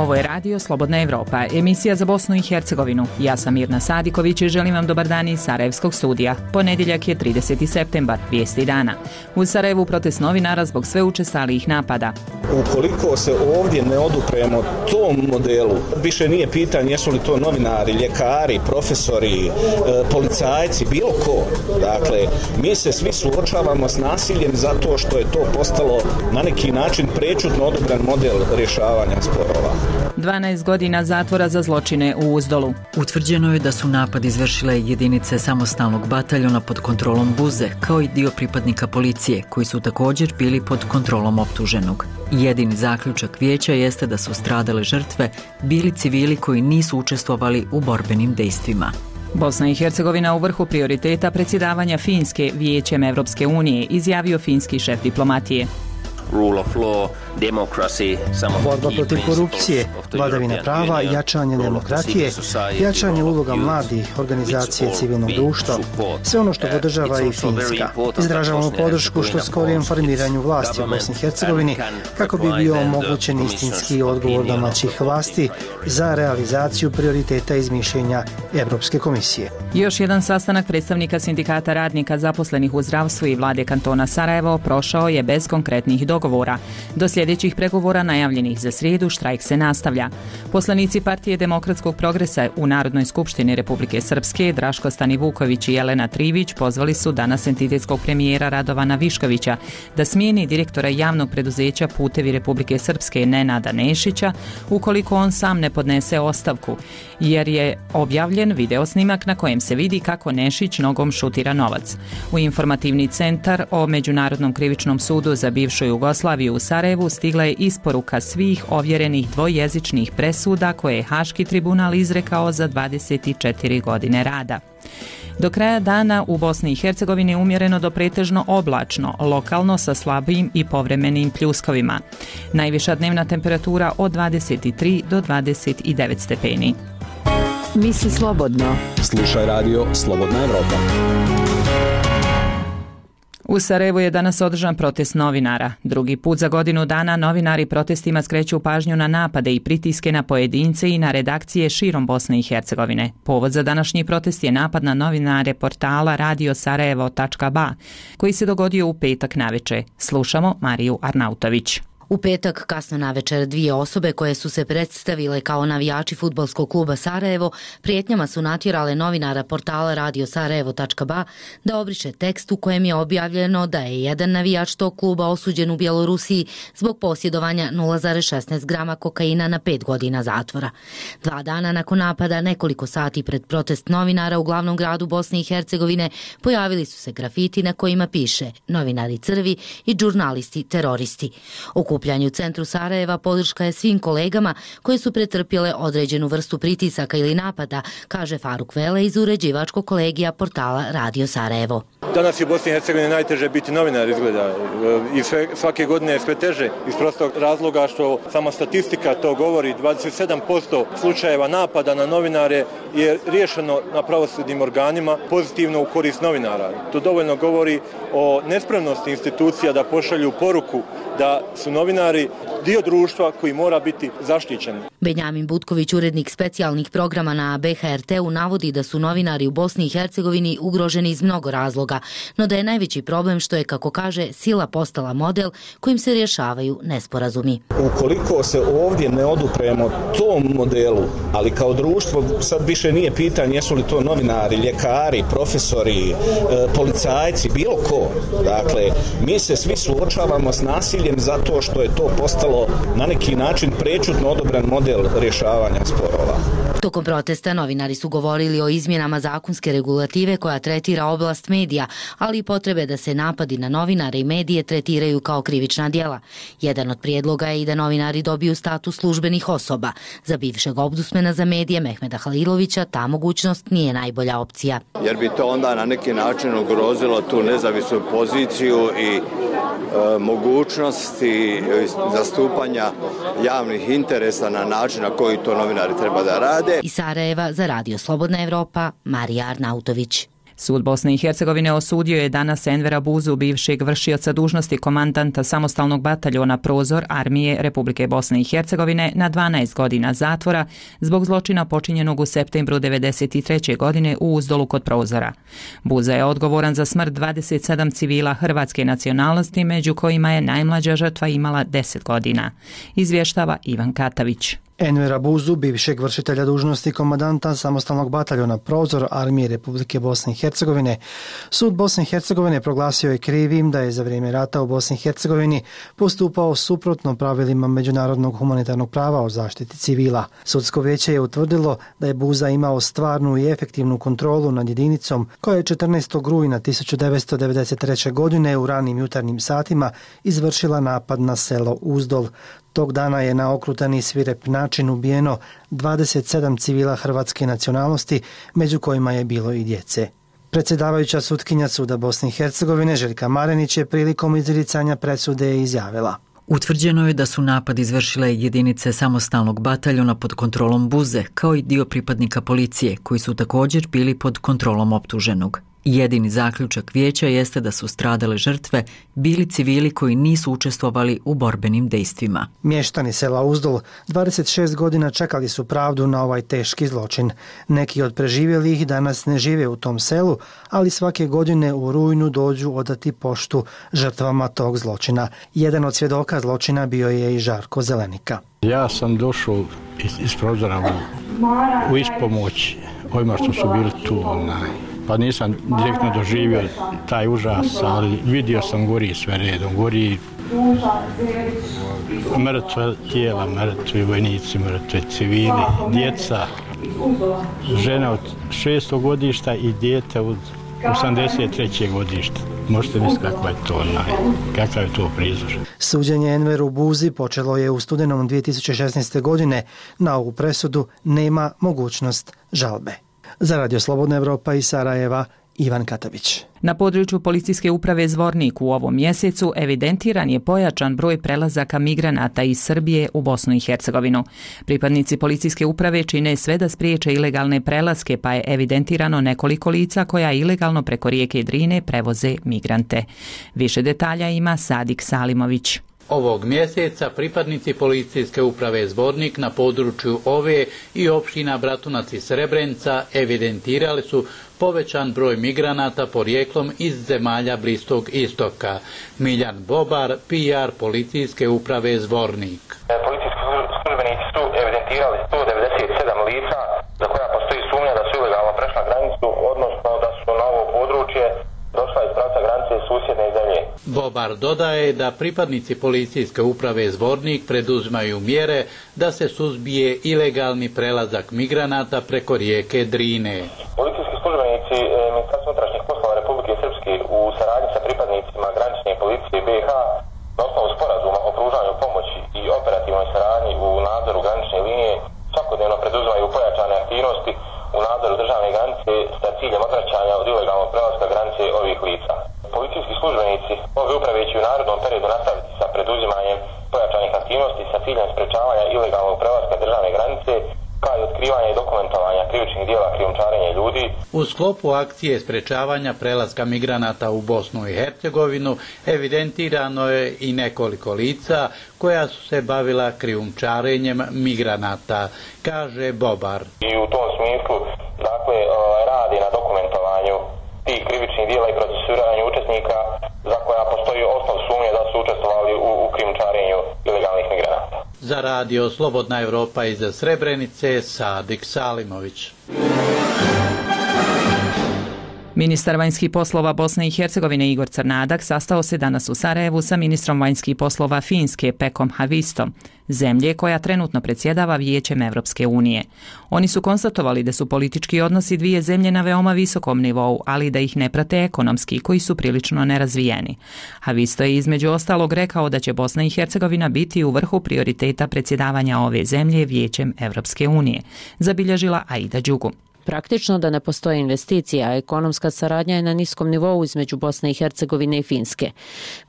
Ovo je Radio Slobodna Evropa, emisija za Bosnu i Hercegovinu. Ja sam Mirna Sadiković i želim vam dobar dan iz Sarajevskog studija. Ponedjeljak je 30. septembar, vijesti dana. U Sarajevu protest novinara zbog sve učestalijih napada. Ukoliko se ovdje ne odupremo tom modelu, više nije pitanje jesu li to novinari, ljekari, profesori, policajci, bilo ko. Dakle, mi se svi suočavamo s nasiljem zato što je to postalo na neki način prečutno odobran model rješavanja sporova. 12 godina zatvora za zločine u Uzdolu. Utvrđeno je da su napad izvršile jedinice samostalnog bataljona pod kontrolom Buze, kao i dio pripadnika policije, koji su također bili pod kontrolom optuženog. Jedini zaključak vijeća jeste da su stradale žrtve bili civili koji nisu učestvovali u borbenim dejstvima. Bosna i Hercegovina u vrhu prioriteta predsjedavanja Finske Vijećem Evropske unije, izjavio finski šef diplomatije. Rule of law, democracy, borba protiv korupcije, vladavina prava, jačanje demokratije, jačanje uloga mladih, organizacije civilnog društva, sve ono što podržava i Finska. Izražavamo podršku što skorijem formiranju vlasti u Bosni i Hercegovini kako bi bio omogućen istinski odgovor domaćih vlasti za realizaciju prioriteta iz mišljenja Evropske komisije. Još jedan sastanak predstavnika sindikata radnika zaposlenih u zdravstvu i vlade kantona Sarajevo prošao je bez konkretnih dogovora. Do sljedećih pregovora najavljenih za srijedu štrajk se nastavlja. Poslanici Partije demokratskog progresa u Narodnoj skupštini Republike Srpske Draško Stanivuković i Jelena Trivić pozvali su danas entitetskog premijera Radovana Viškovića da smijeni direktora javnog preduzeća Putevi Republike Srpske Nenada Nešića ukoliko on sam ne podnese ostavku, jer je objavljen video snimak na kojem se vidi kako Nešić nogom šutira novac. U informativni centar o Međunarodnom krivičnom sudu za bivšu Jugoslaviju u Sarajevu stigla je isporuka svih ovjerenih dvojezičnih presuda koje je Haški tribunal izrekao za 24 godine rada. Do kraja dana u Bosni i Hercegovini umjereno do pretežno oblačno, lokalno sa slabim i povremenim pljuskovima. Najviša dnevna temperatura od 23 do 29 stepeni. Misli slobodno. Slušaj radio Slobodna Evropa. U Sarajevu je danas održan protest novinara. Drugi put za godinu dana novinari protestima skreću pažnju na napade i pritiske na pojedince i na redakcije širom Bosne i Hercegovine. Povod za današnji protest je napad na novinare portala radiosarajevo.ba koji se dogodio u petak navečer. Slušamo Mariju Arnautović. U petak kasno navečer dvije osobe koje su se predstavile kao navijači fudbalskog kluba Sarajevo prijetnjama su natjerale novinara portala radiosarajevo.ba da obriše tekst u kojem je objavljeno da je jedan navijač tog kluba osuđen u Bjelorusiji zbog posjedovanja 0,16 grama kokaina na 5 godina zatvora. 2 dana nakon napada, nekoliko sati pred protest novinara u glavnom gradu Bosne i Hercegovine, pojavili su se grafiti na kojima piše "Novinari crvi" i "Žurnalisti teroristi". Okupljanju u centru Sarajeva podrška je svim kolegama koje su pretrpjele određenu vrstu pritisaka ili napada, kaže Faruk Vele iz uređivačkog kolegija portala Radio Sarajevo. Danas je u Bosni i Hercegovini najteže biti novinar izgleda i svake godine je sve teže iz prostog razloga što sama statistika to govori. 27% slučajeva napada na novinare je riješeno na pravosudnim organima pozitivno u korist novinara. To dovoljno govori o nespremnosti institucija da pošalju poruku da su novinari dio društva koji mora biti zaštićen. Benjamin Butković, urednik specijalnih programa na BHRT-u, navodi da su novinari u Bosni i Hercegovini ugroženi iz mnogo razloga, no da je najveći problem što je, kako kaže, sila postala model kojim se rješavaju nesporazumi. Ukoliko se ovdje ne odupremo tom modelu, ali kao društvo sad više nije pitanje jesu li to novinari, ljekari, profesori, policajci, bilo ko. Dakle, mi se svi suočavamo s nasiljem zato što je to postalo na neki način prečutno odobran model rješavanja sporova. Tokom protesta novinari su govorili o izmjenama zakonske regulative koja tretira oblast medija, ali i potrebe da se napadi na novinare i medije tretiraju kao krivična djela. Jedan od prijedloga je i da novinari dobiju status službenih osoba. Za bivšeg ombudsmana za medije Mehmeda Halilovića ta mogućnost nije najbolja opcija. Jer bi to onda na neki način ugrozilo tu nezavisnu poziciju i mogućnosti zastupanja javnih interesa na način na koji to novinari treba da rade. Iz Sarajeva za Radio Slobodna Evropa, Marija Arnautović. Sud Bosne i Hercegovine osudio je danas Envera Buzu, bivšeg vršioca dužnosti komandanta samostalnog bataljona Prozor Armije Republike Bosne i Hercegovine na 12 godina zatvora zbog zločina počinjenog u septembru 1993. godine u Uzdolu kod Prozora. Buza je odgovoran za smrt 27 civila hrvatske nacionalnosti, među kojima je najmlađa žrtva imala 10 godina. Izvještava Ivan Katavić. Envera Buzu, bivšeg vršitelja dužnosti komandanta samostalnog bataljona Prozor Armije Republike Bosne i Hercegovine, Sud Bosne i Hercegovine proglasio je krivim da je za vrijeme rata u Bosni i Hercegovini postupao suprotno pravilima međunarodnog humanitarnog prava o zaštiti civila. Sudsko vijeće je utvrdilo da je Buza imao stvarnu i efektivnu kontrolu nad jedinicom koja je 14. rujna 1993. godine u ranim jutarnjim satima izvršila napad na selo Uzdol. Tog dana je na okrutan i svirep način ubijeno 27 civila hrvatske nacionalnosti, među kojima je bilo i djece. Predsjedavajuća sutkinja Suda Bosne i Hercegovine Željka Marenić je prilikom izricanja presude izjavila: Utvrđeno je da su napad izvršile jedinice samostalnog bataljona pod kontrolom Buze, kao i dio pripadnika policije, koji su također bili pod kontrolom optuženog. Jedini zaključak vijeća jeste da su stradale žrtve bili civili koji nisu učestvovali u borbenim dejstvima. Mještani sela Uzdol 26 godina čekali su pravdu na ovaj teški zločin. Neki od preživjelih danas ne žive u tom selu, ali svake godine u rujnu dođu odati poštu žrtvama tog zločina. Jedan od svjedoka zločina bio je i Žarko Zelenika. Ja sam došao iz Prozora u ispomoć ovima što su bili tu. Pa nisam direktno doživio taj užas, ali vidio sam gori sve redom, gori mrtve tijela, mrtvi vojnici, mrtve civili, djeca, žena od 6. godišta i dijete od 83. godišta. Možete misliti kakav je to prizor. Suđenje Enveru Buzi počelo je u studenom 2016. godine. Na ovu presudu nema mogućnost žalbe. Za Radio Slobodna Evropa iz Sarajeva, Ivan Katavić. Na području policijske uprave Zvornik u ovom mjesecu evidentiran je pojačan broj prelazaka migranata iz Srbije u Bosnu i Hercegovinu. Pripadnici policijske uprave čine sve da spriječe ilegalne prelaske, pa je evidentirano nekoliko lica koja ilegalno preko rijeke Drine prevoze migrante. Više detalja ima Sadik Salimović. Ovog mjeseca pripadnici policijske uprave Zvornik na području ove i opština Bratunac i Srebrenica evidentirali su povećan broj migranata porijeklom iz zemalja Bliskog istoka. Miljan Bobar, PR policijske uprave Zvornik. Policijski službenici su evidentirali 197 lica za koja postoji sumnja da su ilegalno prešla granicu, odnosno da su na ovo područje došla iz pravca granice susjedne zemlje. Bobar dodaje da pripadnici policijske uprave Zvornik preduzimaju mjere da se suzbije ilegalni prelazak migranata preko rijeke Drine. Policijski službenici Ministarstva unutrašnjih poslova Republike Srpske u saradnji sa pripadnicima granične policije BiH na osnovu sporazuma o pružanju pomoći i operativnoj saradnji u nadzoru granične linije svakodnevno preduzimaju pojačane aktivnosti u nadzoru državne granice sa ciljem odvraćanja od ilegalnog prelaska granice ovih lica. Policijski službenici ove uprave će u narednom periodu nastaviti sa preduzimanjem pojačanih aktivnosti sa ciljem sprečavanja ilegalnog prelaska državne granice, kao i otkrivanja i dokumentovanja krivičnih djela krijumčarenja ljudi. U sklopu akcije sprečavanja prelaska migranata u Bosnu i Hercegovinu evidentirano je i nekoliko lica koja su se bavila krijumčarenjem migranata, kaže Bobar. I u tom smislu, dakle, radi na dokumentovanju tih krivičnih djela i procesuiranju učesnika za koja postoji osnov sumnje da su učestvovali u krijumčarenju ilegalnih migranata. Za Radio Slobodna Evropa iz Srebrenice, Sadik Salimović. Ministar vanjskih poslova Bosne i Hercegovine Igor Crnadak sastao se danas u Sarajevu sa ministrom vanjskih poslova Finske Pekom Havistom, zemlje koja trenutno predsjedava Vijećem Evropske unije. Oni su konstatovali da su politički odnosi dvije zemlje na veoma visokom nivou, ali da ih ne prate ekonomski, koji su prilično nerazvijeni. Havisto je između ostalog rekao da će Bosna i Hercegovina biti u vrhu prioriteta predsjedavanja ove zemlje Vijećem Evropske unije, zabilježila Aida Đugu. Praktično da ne postoje investicije, a ekonomska saradnja je na niskom nivou između Bosne i Hercegovine i Finske.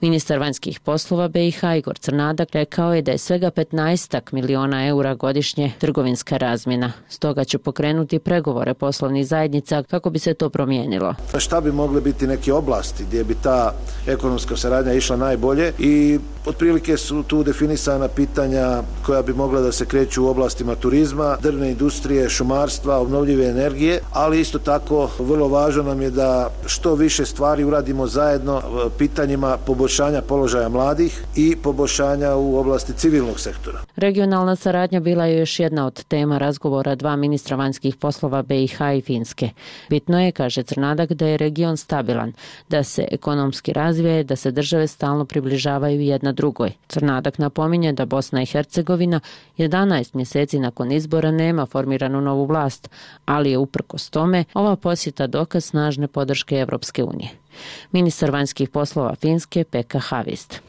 Ministar vanjskih poslova BiH Igor Crnadak rekao je da je svega 15 miliona eura godišnje trgovinska razmjena. Stoga će pokrenuti pregovore poslovnih zajednica kako bi se to promijenilo. Šta bi mogle biti neke oblasti gdje bi ta ekonomska saradnja išla najbolje i otprilike su tu definisana pitanja koja bi mogla da se kreću u oblastima turizma, drvne industrije, šumarstva, obnovljive energije, ali isto tako vrlo važno nam je da što više stvari uradimo zajedno pitanjima poboljšanja položaja mladih i poboljšanja u oblasti civilnog sektora. Regionalna saradnja bila je još jedna od tema razgovora dva ministra vanjskih poslova BiH i Finske. Bitno je, kaže Crnadak, da je region stabilan, da se ekonomski razvija, da se države stalno približavaju jedna drugoj. Crnadak napominje da Bosna i Hercegovina 11 mjeseci nakon izbora nema formiranu novu vlast, ali je uprkos tome ova posjeta dokaz snažne podrške Evropske unije. Ministar vanjskih poslova Finske Pekka Havist.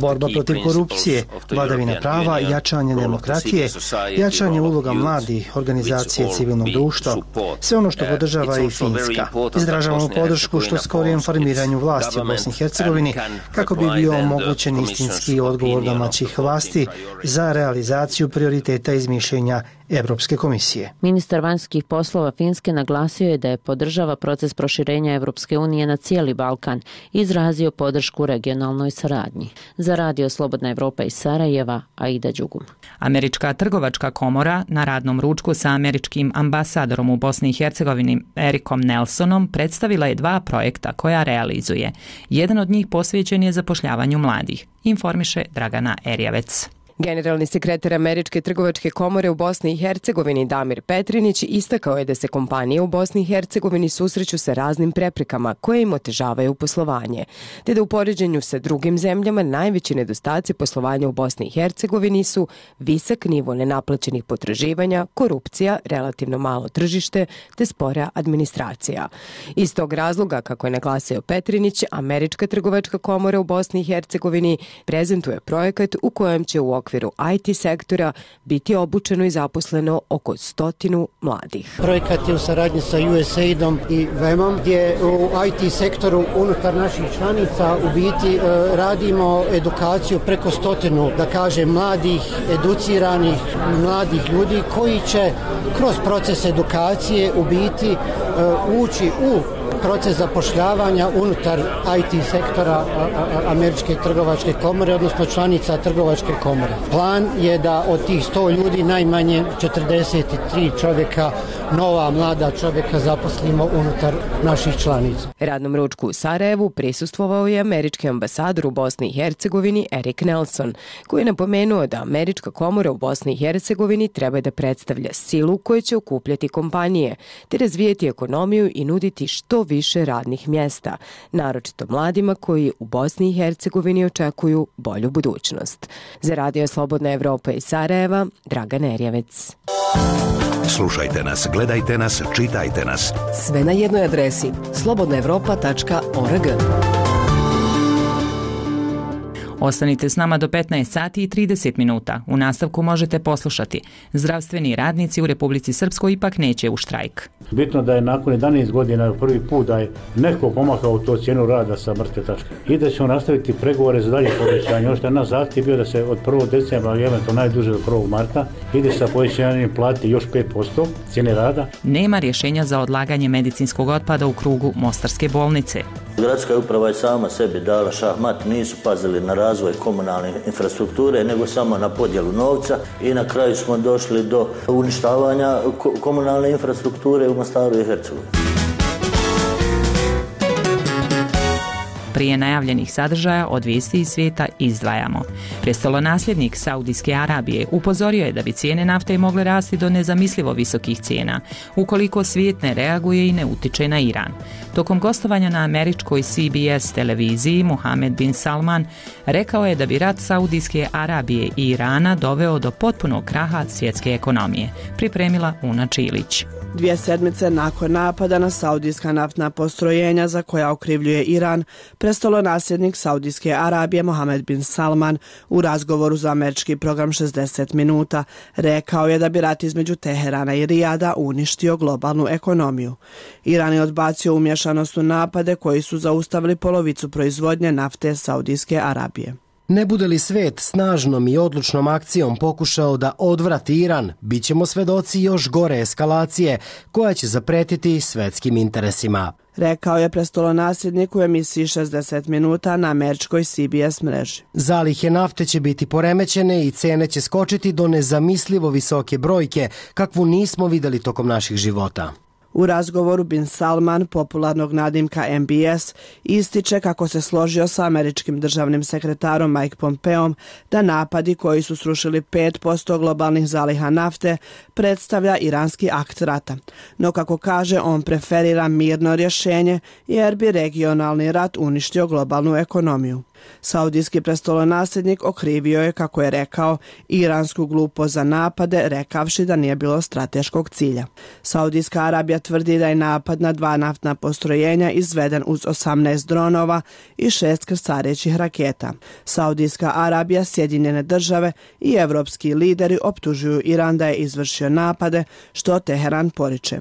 Borba protiv korupcije, vladavina prava, jačanje demokratije, jačanje uloga mladih, organizacije civilnog društva, sve ono što podržava i Finska. Izražavamo podršku što skorijem formiranju vlasti u Bosni i Hercegovini kako bi bio omogućen istinski odgovor domaćih vlasti za realizaciju prioriteta iz mišljenja Evropske komisije. Ministar vanjskih poslova Finske naglasio je da je podržava proces proširenja Evropske unije na cijeli Balkan i izrazio podršku regionalnoj saradnji. Za Radio Slobodna Evropa iz Sarajeva, Aida Đugum. Američka trgovačka komora na radnom ručku sa američkim ambasadorom u Bosni i Hercegovini Erikom Nelsonom predstavila je dva projekta koja realizuje. Jedan od njih posvećen je zapošljavanju mladih, informiše Dragana Erjavec. Generalni sekretar Američke trgovačke komore u Bosni i Hercegovini Damir Petrinić istakao je da se kompanije u Bosni i Hercegovini susreću sa raznim preprekama koje im otežavaju poslovanje, te da u poređenju sa drugim zemljama najveći nedostaci poslovanja u Bosni i Hercegovini su visok nivo nenaplaćenih potraživanja, korupcija, relativno malo tržište te spora administracija. Iz tog razloga, kako je naglasio Petrinić, Američka trgovačka komora u Bosni i Hercegovini prezentuje projekat u kojem će u okviru IT sektora biti obučeno i zaposleno oko 100 mladih. Projekat je u saradnji sa USAID-om i VEM-om gdje u IT sektoru unutar naših članica u biti radimo edukaciju preko 100, da kažem, mladih, educiranih, mladih ljudi koji će kroz proces edukacije u biti ući u proces zapošljavanja unutar IT sektora Američke trgovačke komore, odnosno članica trgovačke komore. Plan je da od tih 100 ljudi najmanje 43 čovjeka, nova mlada čovjeka zaposlimo unutar naših članica. Radnom ručku u Sarajevu prisustvovao je američki ambasador u Bosni i Hercegovini Erik Nelson, koji je napomenuo da Američka komora u Bosni i Hercegovini treba da predstavlja silu koja će okupljati kompanije, te razvijeti ekonomiju i nuditi što više radnih mjesta, naročito mladima koji u Bosni i Hercegovini očekuju bolju budućnost. Za Radio Slobodna Evropa iz Sarajeva, Dragan Erjavec. Slušajte nas, gledajte nas, čitajte nas. Sve na jednoj adresi slobodnaevropa.org. Ostanite s nama do 15 sati i 30 minuta. U nastavku možete poslušati. Zdravstveni radnici u Republici Srpskoj ipak neće u štrajk. Bitno da je nakon 11 godina prvi put da je neko pomakao to cijenu rada sa mrtve tačke. I da ćemo nastaviti pregovore za dalje povećanje. Ono što je naš zahtjev bio da se od 1. decembra, eventualno najduže do 1. marta, ide sa povećanjem plati još 5% cijene rada. Nema rješenja za odlaganje medicinskog otpada u krugu Mostarske bolnice. Gradska uprava je sama sebi dala šahmat, nisu pazili na razvoj komunalne infrastrukture, nego samo na podjelu novca i na kraju smo došli do uništavanja komunalne infrastrukture u Mostaru i Hercegovini. Prije najavljenih sadržaja od vijesti iz svijeta izdvajamo. Prestolonasljednik Saudijske Arabije upozorio je da bi cijene nafte mogle rasti do nezamislivo visokih cijena, ukoliko svijet ne reaguje i ne utiče na Iran. Tokom gostovanja na američkoj CBS televiziji, Mohamed bin Salman rekao je da bi rat Saudijske Arabije i Irana doveo do potpunog kraha svjetske ekonomije. Pripremila Una Čilić. 2 sedmice nakon napada na saudijska naftna postrojenja za koja okrivljuje Iran, Prestolonasljednik Saudijske Arabije Mohamed bin Salman u razgovoru za američki program 60 minuta rekao je da bi rat između Teherana i Rijada uništio globalnu ekonomiju. Iran je odbacio umješanost u napade koji su zaustavili polovicu proizvodnje nafte Saudijske Arabije. Ne bude li svet snažnom i odlučnom akcijom pokušao da odvrati Iran, bit ćemo svedoci još gore eskalacije koja će zapretiti svetskim interesima, rekao je prestolonasljednik u emisiji 60 minuta na američkoj CBS mreži. Zalihe nafte će biti poremećene i cene će skočiti do nezamislivo visoke brojke, kakvu nismo vidjeli tokom naših života. U razgovoru bin Salman, popularnog nadimka MBS, ističe kako se složio sa američkim državnim sekretarom Mike Pompeom da napadi koji su srušili 5% globalnih zaliha nafte predstavlja iranski akt rata. No kako kaže, on preferira mirno rješenje jer bi regionalni rat uništio globalnu ekonomiju. Saudijski prestolonasljednik okrivio je, kako je rekao, iransku glupost za napade, rekavši da nije bilo strateškog cilja. Saudijska Arabija tvrdi da je napad na 2 naftna postrojenja izveden uz 18 dronova i 6 krstarećih raketa. Saudijska Arabija, Sjedinjene države i evropski lideri optužuju Iran da je izvršio napade, što Teheran poriče.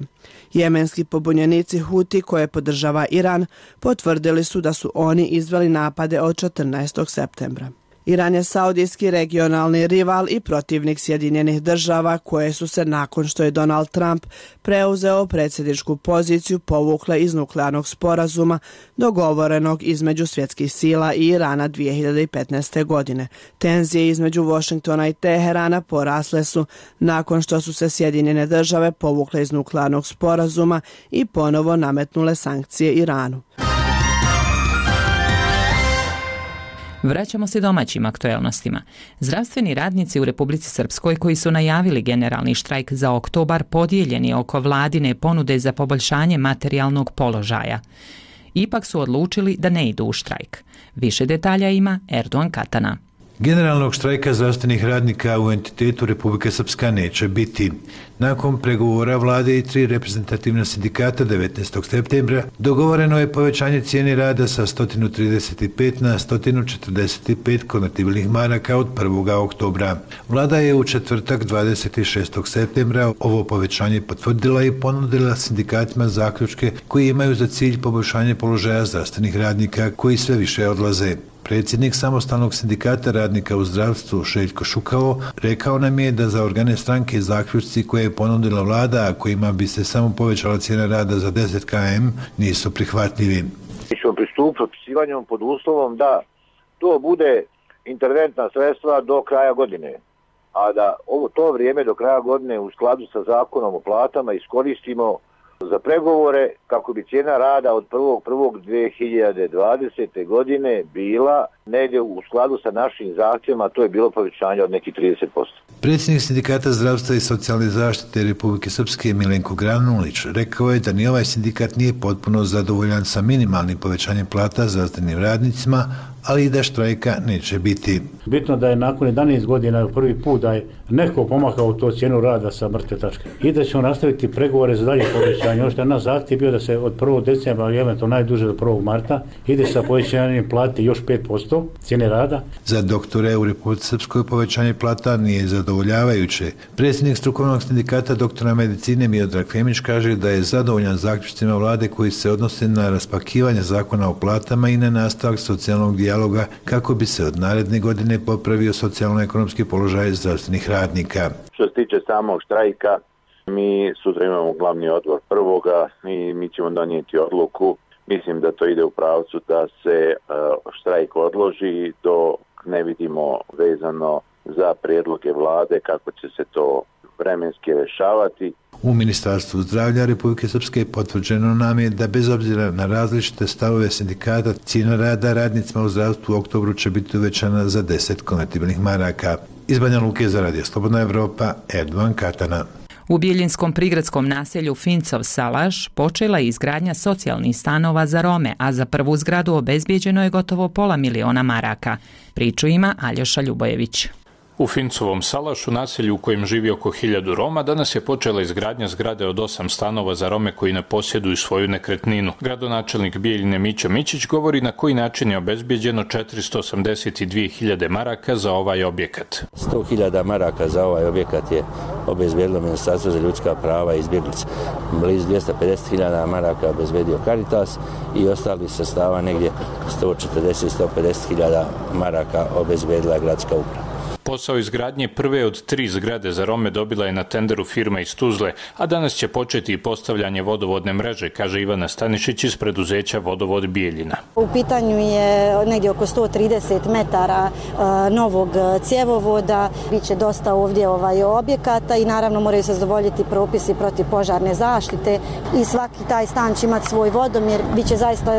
Jemenski pobunjenici Huti, koje podržava Iran, potvrdili su da su oni izveli napade od 14. septembra. Iran je saudijski regionalni rival i protivnik Sjedinjenih država koje su se, nakon što je Donald Trump preuzeo predsjedničku poziciju, povukle iz nuklearnog sporazuma dogovorenog između svjetskih sila i Irana 2015. godine. Tenzije između Washingtona i Teherana porasle su nakon što su se Sjedinjene države povukle iz nuklearnog sporazuma i ponovo nametnule sankcije Iranu. Vraćamo se domaćim aktuelnostima. Zdravstveni radnici u Republici Srpskoj koji su najavili generalni štrajk za oktobar podijeljeni oko vladine ponude za poboljšanje materijalnog položaja. Ipak su odlučili da ne idu u štrajk. Više detalja ima Erdogan Katana. Generalnog štrajka zdravstvenih radnika u entitetu Republike Srpska neće biti. Nakon pregovora vlade i 3 reprezentativna sindikata 19. septembra dogovoreno je povećanje cijene rada sa 135 na 145 konvertibilnih maraka od 1. oktobra. Vlada je u četvrtak 26. septembra ovo povećanje potvrdila i ponudila sindikatima zaključke koji imaju za cilj poboljšanje položaja zdravstvenih radnika koji sve više odlaze. Predsjednik samostalnog sindikata radnika u zdravstvu Željko Šukalo rekao nam je da za organe stranke zaključci koje je ponudila vlada, a kojima bi se samo povećala cijena rada za 10 km, nisu prihvatljivi. Mi ćemo pristupiti potpisivanjem pod uslovom da to bude interventna sredstva do kraja godine, a da to vrijeme do kraja godine u skladu sa zakonom o platama iskoristimo za pregovore kako bi cijena rada od 1.1.2020. godine bila negdje u skladu sa našim zahtjevima, to je bilo povećanje od nekih 30%. Predsjednik sindikata zdravstva i socijalne zaštite Republike Srpske Milenko Granulić rekao je da ni ovaj sindikat nije potpuno zadovoljan sa minimalnim povećanjem plata zdravstvenim radnicima, ali i da štrajka neće biti. Bitno da je nakon 11 godina prvi put da je neko pomakao to cijenu rada sa mrtve tačke i da ćemo nastaviti pregovore za dalje povećanje. Ono što je naš zahtjev bio da se od 1. decembra, ali eventualno najduže do 1. marta, ide sa povećanjem plate još 5% cijene rada. Za doktore u Republici Srpskoj povećanje plata nije zadovoljavajuće. Predsjednik strukovnog sindikata doktora medicine Miodrag Femić kaže da je zadovoljan zaključcima vlade koji se odnose na raspakivanje zakona o platama i na nastavak socijalnog dijaloga kako bi se od naredne godine popravio socijalno-ekonomski položaj zdravstvenih radnika. Što se tiče samog štrajka, mi sutra imamo glavni odbor 1. i mi ćemo donijeti odluku. Mislim da to ide u pravcu da se štrajk odloži dok ne vidimo vezano za prijedloge vlade kako će se to vremenski rješavati. U Ministarstvu zdravlja Republike Srpske potvrđeno nam je da bez obzira na različite stavove sindikata, cijena rada radnicima u zdravstvu u oktobru će biti uvećana za 10 konvertibilnih maraka. Iz Banja Luke za Radio Slobodna Evropa, Erdogan Katana. U Biljinskom prigradskom naselju Fincov Salaš počela je izgradnja socijalnih stanova za Rome, a za prvu zgradu obezbijeđeno je gotovo $500.000 maraka. Priču ima Aljoša Ljubojević. U Fincovom Salašu, naselju u kojem živi oko 1000 Roma, danas je počela izgradnja zgrade od 8 stanova za Rome koji ne posjeduju svoju nekretninu. Gradonačelnik Bijeljine Mića Mićić govori na koji način je obezbijeđeno 482.000 maraka za ovaj objekat. 100.000 maraka za ovaj objekat je obezbijedilo Ministarstvo za ljudska prava i izbjeglice. Blizu 250.000 maraka obezbijedio Caritas i ostali sredstava negdje 140-150.000 maraka obezbijedila gradska uprava. Posao izgradnje prve od 3 zgrade za Rome dobila je na tenderu firma iz Tuzle, a danas će početi i postavljanje vodovodne mreže, kaže Ivana Stanišić iz preduzeća Vodovod Bijeljina. U pitanju je negdje oko 130 metara novog cjevovoda, biće dosta ovdje objekata i naravno moraju se zadovoljiti propisi protiv požarne zaštite i svaki taj stan će imati svoj vodomjer, biće zaista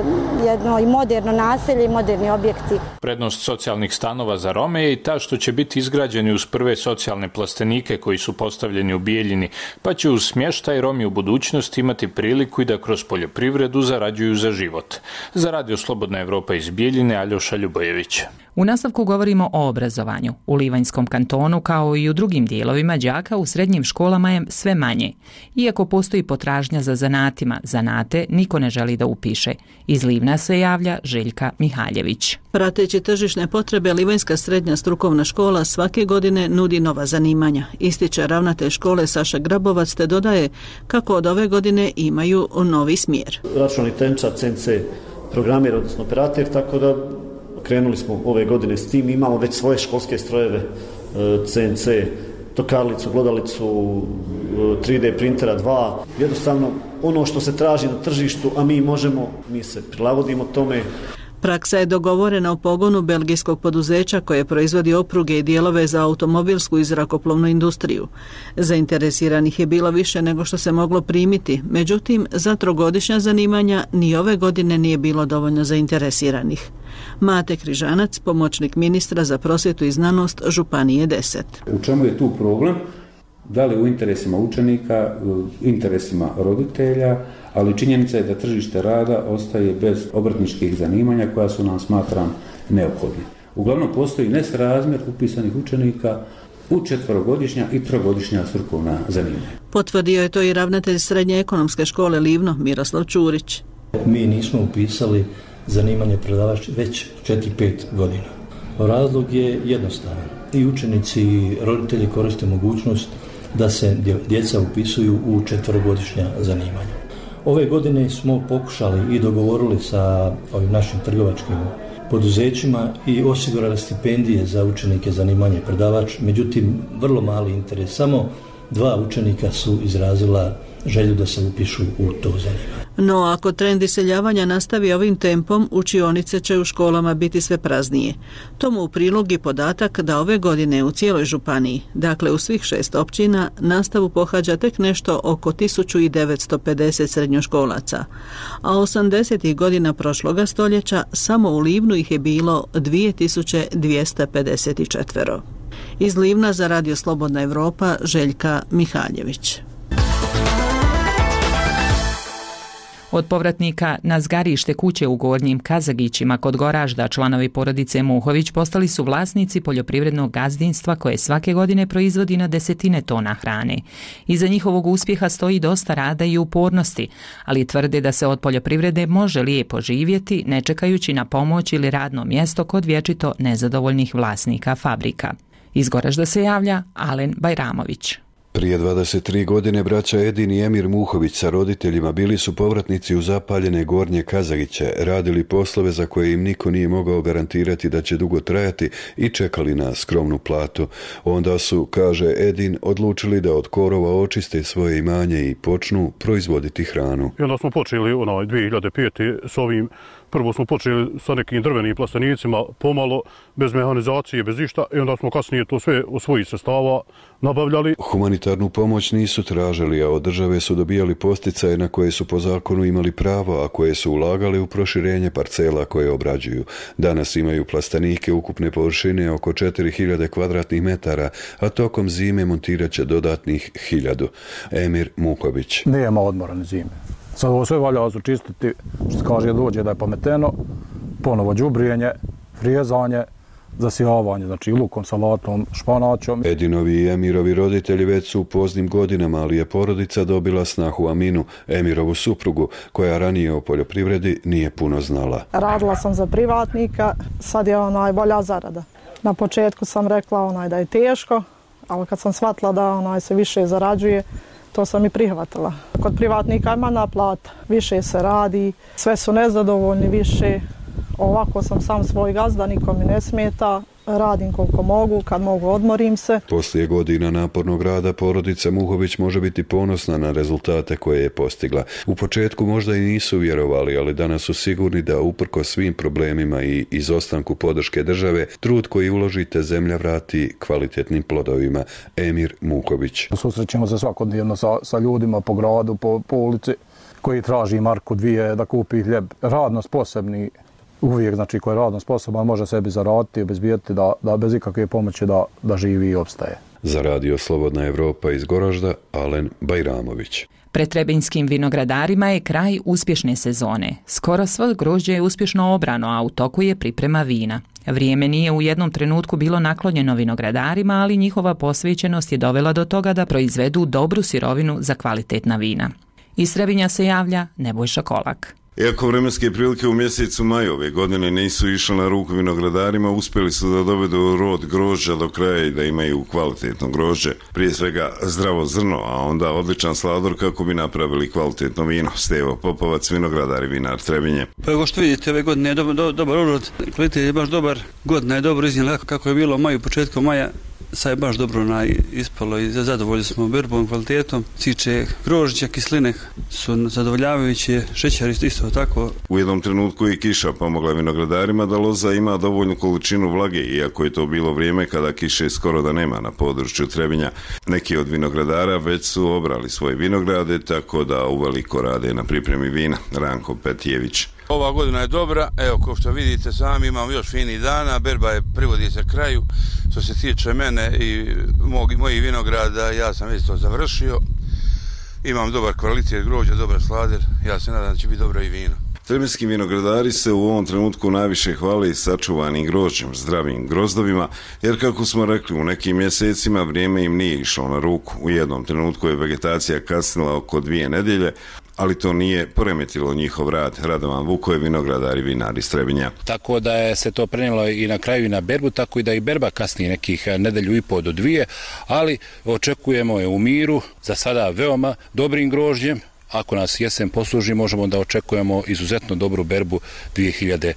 jedno i moderno naselje i moderni objekti. Prednost socijalnih stanova za Rome je i ta što će biti izgrađeni uz prve socijalne plastenike koji su postavljeni u Bijeljini, pa će uz smještaj Romi u budućnosti imati priliku i da kroz poljoprivredu zarađuju za život. Za Radio Slobodna Evropa iz Bijeljine, Aljoša Ljubojević. U nastavku govorimo o obrazovanju. U Livanjskom kantonu, kao i u drugim dijelovima, đaka u srednjim školama je sve manje. Iako postoji potražnja za zanatima, zanate niko ne želi da upiše. Iz Livna se javlja Željka Mihaljević. Prateći tržišne potrebe, Livanjska srednja strukovna škola svake godine nudi nova zanimanja. Ističe ravnatelj škole Saša Grabovac te dodaje kako od ove godine imaju novi smjer. Računalni tehničar, CNC programer, odnosno operator, tako da krenuli smo ove godine s tim. Imamo već svoje školske strojeve, CNC, tokarlicu, glodalicu, 3D printera 2. Jednostavno ono što se traži na tržištu, a mi se prilagodimo tome. Praksa je dogovorena u pogonu belgijskog poduzeća koje proizvodi opruge i dijelove za automobilsku i zrakoplovnu industriju. Zainteresiranih je bilo više nego što se moglo primiti, međutim za trogodišnja zanimanja ni ove godine nije bilo dovoljno zainteresiranih. Mate Križanac, pomoćnik ministra za prosvjetu i znanost Županije 10. U čemu je tu problem? Da li u interesima učenika, u interesima roditelja, ali činjenica je da tržište rada ostaje bez obrtničkih zanimanja koja su nam, smatram, neophodne. Uglavnom postoji nesrazmjer upisanih učenika u 4-godišnja i 3-godišnja strukovna zanimanja. Potvrdio je to i ravnatelj Srednje ekonomske škole Livno, Miroslav Čurić. Mi nismo upisali zanimanje predavač već 4-5 godina. Razlog je jednostavan. I učenici i roditelji koriste mogućnost da se djeca upisuju u 4-godišnja zanimanja. Ove godine smo pokušali i dogovorili sa ovim našim trgovačkim poduzećima i osigurali stipendije za učenike zanimanje predavač, međutim vrlo mali interes. Samo 2 učenika su izrazila želju da se upišu u to zanimanje. No, ako trend iseljavanja nastavi ovim tempom, učionice će u školama biti sve praznije. Tomu u prilog i podatak da ove godine u cijeloj županiji, dakle u svih 6 općina, nastavu pohađa tek nešto oko 1950 srednjoškolaca, a 80. godina prošloga stoljeća samo u Livnu ih je bilo 2254. Iz Livna za Radio Slobodna Evropa, Željka Mihaljević. Od povratnika na zgarište kuće u Gornjim Kazagićima kod Goražda članovi porodice Muhović postali su vlasnici poljoprivrednog gazdinstva koje svake godine proizvodi na desetine tona hrane. Iza njihovog uspjeha stoji dosta rada i upornosti, ali tvrde da se od poljoprivrede može lijepo živjeti ne čekajući na pomoć ili radno mjesto kod vječito nezadovoljnih vlasnika fabrika. Iz Goražda se javlja Alen Bajramović. Prije 23 godine braća Edin i Emir Muhović sa roditeljima bili su povratnici u zapaljene Gornje Kazagiće, radili poslove za koje im niko nije mogao garantirati da će dugo trajati i čekali na skromnu platu. Onda su, kaže Edin, odlučili da od korova očiste svoje imanje i počnu proizvoditi hranu. I onda smo počeli 2005. s ovim. Prvo smo počeli sa nekim drvenim plastenicima, pomalo, bez mehanizacije, bez išta, i onda smo kasnije to sve od svojih sredstava nabavljali. Humanitarnu pomoć nisu tražili, a od države su dobijali posticaje na koje su po zakonu imali pravo, a koje su ulagali u proširenje parcela koje obrađuju. Danas imaju plastenike ukupne površine oko 4000 kvadratnih metara, a tokom zime montirat će dodatnih 1000. Emir Muhović. Nema odmora ni zime. Sad ovo sve valja začistiti, što se kaže dođe da je pameteno, ponovo đubrijenje, frijezanje, zasijavanje, znači lukom, salatom, španačom. Edinovi i Emirovi roditelji već su u poznim godinama, ali je porodica dobila snahu Aminu, Emirovu suprugu, koja ranije o poljoprivredi nije puno znala. Radila sam za privatnika, sad je bolja zarada. Na početku sam rekla da je teško, ali kad sam shvatila da se više zarađuje, to sam i prihvatila. Kod privatnika je manja plata, više se radi, sve su nezadovoljni više. Ovako sam sam svoj gazda, nikom mi ne smeta, radim koliko mogu, kad mogu odmorim se. Poslije godina napornog rada porodica Muhović može biti ponosna na rezultate koje je postigla. U početku možda i nisu vjerovali, ali danas su sigurni da uprkos svim problemima i izostanku podrške države, trud koji uložite zemlja vrati kvalitetnim plodovima. Emir Muhović. Susrećemo se svakodnevno sa ljudima po gradu, po ulici, koji traži marku dvije da kupi hljeb. Radno sposobni, uvijek, znači ko je radno sposoban, može sebi zaraditi, obezbijeti da bez ikakve pomoći da živi i opstaje. Za Radio Slobodna Evropa iz Goražda, Alen Bajramović. Pred Trebinskim vinogradarima je kraj uspješne sezone. Skoro svo grožđe je uspješno obrano, a u toku je priprema vina. Vrijeme nije u jednom trenutku bilo naklonjeno vinogradarima, ali njihova posvećenost je dovela do toga da proizvedu dobru sirovinu za kvalitetna vina. Iz Trebinja se javlja Nebojša Kolak. Iako vremenske prilike u mjesecu maju ove godine nisu išle na ruku vinogradarima, uspjeli su da dovedu rod grožđa do kraja i da imaju kvalitetno grožđe. Prije svega zdravo zrno, a onda odličan slador kako bi napravili kvalitetno vino. Stevo Popovac, vinogradar i vinar Trebinje. Pa evo što vidite, ove godine je dobar urod, kvalitet je baš dobar, godina je dobro iznijela kako je bilo u maju, početkom maja. Sad je baš dobro ispalo i zadovoljni smo berbom, kvalitetom. Ciče grožđa, kisline su zadovoljavajuće, šećer isto tako. U jednom trenutku i kiša pomogla vinogradarima da loza ima dovoljnu količinu vlage, iako je to bilo vrijeme kada kiše skoro da nema na području Trebinja. Neki od vinogradara već su obrali svoje vinograde, tako da uveliko rade na pripremi vina. Ranko Petijević. Ova godina je dobra, evo kao što vidite sami imamo još fini dana, berba je privodi se kraju. Što se tiče mene i mojih vinograda, ja sam već to završio. Imam dobar kvalitet grožđa, dobar slader, ja se nadam da će biti dobro i vino. Trebinski vinogradari se u ovom trenutku najviše hvale sačuvanim grožđem, zdravim grozdovima, jer kako smo rekli, u nekim mjesecima vrijeme im nije išlo na ruku. U jednom trenutku je vegetacija kasnila oko 2 nedjelje, ali to nije poremetilo njihov rad. Radovan Vuko je vinogradar i vinar iz Trebinja. Tako da je se to prenijelo i na kraju i na berbu, tako i da i berba kasnije nekih 1,5 do 2, ali očekujemo je u miru, za sada veoma dobrim grožđem. Ako nas jesen posluži, možemo da očekujemo izuzetno dobru berbu 2019.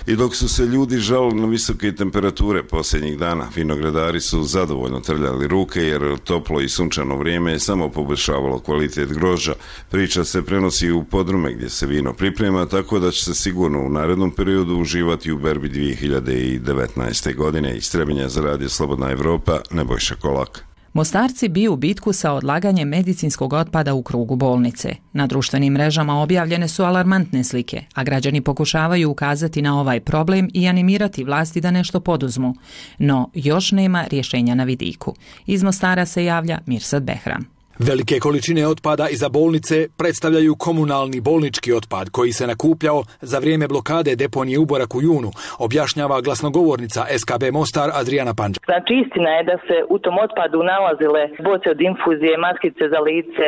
I dok su se ljudi žalili na visoke temperature posljednjih dana, vinogradari su zadovoljno trljali ruke jer toplo i sunčano vrijeme je samo poboljšavalo kvalitet grožđa. Priča se prenosi u podrume gdje se vino priprema, tako da će se sigurno u narednom periodu uživati u berbi 2019. godine. Iz Trebinja za Radio Slobodna Evropa, Nebojša Kolak. Mostarci biju bitku sa odlaganjem medicinskog otpada u krugu bolnice. Na društvenim mrežama objavljene su alarmantne slike, a građani pokušavaju ukazati na ovaj problem i animirati vlasti da nešto poduzmu. No, još nema rješenja na vidiku. Iz Mostara se javlja Mirsad Behram. Velike količine otpada iza bolnice predstavljaju komunalni bolnički otpad koji se nakupljao za vrijeme blokade deponije Uborak u junu, objašnjava glasnogovornica SKB Mostar Adriana Panđa. Znači istina je da se u tom otpadu nalazile boce od infuzije, maskice za lice,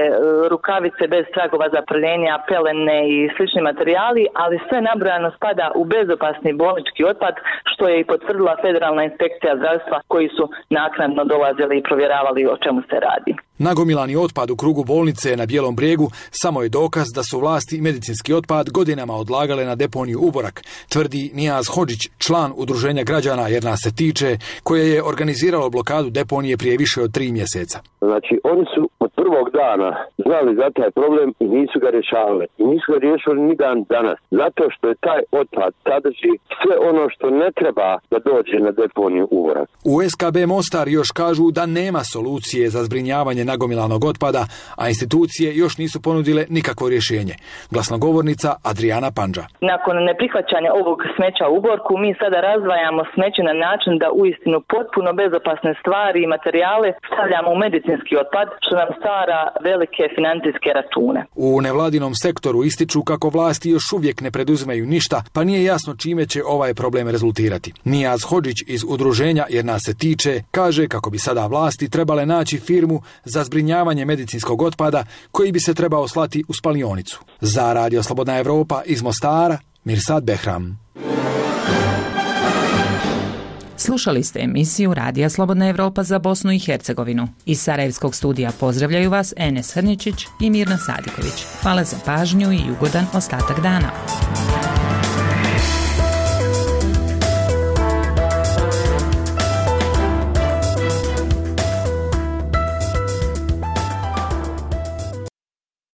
rukavice bez tragova za prljenja, pelene i slični materijali, ali sve nabrojano spada u bezopasni bolnički otpad, što je i potvrdila Federalna inspekcija zdravstva koji su naknadno dolazili i provjeravali o čemu se radi. Nagomilani otpad u krugu bolnice na Bijelom brijegu samo je dokaz da su vlasti medicinski otpad godinama odlagale na deponiju Uborak, tvrdi Nijaz Hodžić, član udruženja građana Jer nas se tiče, koje je organiziralo blokadu deponije prije više od 3 mjeseca. Znači, oni su od prvog dana znali za taj problem i nisu ga rješavali. I nisu ga riješili ni dan danas. Zato što je taj otpad sadrži sve ono što ne treba da dođe na deponiju Uborak. U SKB Mostar još kažu da nema solucije za zbrinjavanje nagomilanog otpada, a institucije još nisu ponudile nikakvo rješenje. Glasnogovornica Adriana Pandža. Nakon neprihvaćanja ovog smeća u Borku, mi sada razdvajamo smeće na način da uistinu potpuno bezopasne stvari i materijale stavljamo u medicinski otpad, što nam stvara velike financijske račune. U nevladinom sektoru ističu kako vlasti još uvijek ne preduzimaju ništa, pa nije jasno čime će ovaj problem rezultirati. Nijaz Hodžić iz udruženja Jer nas se tiče kaže kako bi sada vlasti trebale naći firmu za zbrinjavanje medicinskog otpada koji bi se trebao slati u spalionicu. Za Radio Slobodna Evropa iz Mostara, Mirsad Behram. Slušali ste emisiju Radija Slobodna Evropa za Bosnu i Hercegovinu. Iz Sarajevskog studija pozdravljaju vas Enes Hrničić i Mirna Sadiković. Hvala za pažnju i ugodan ostatak dana.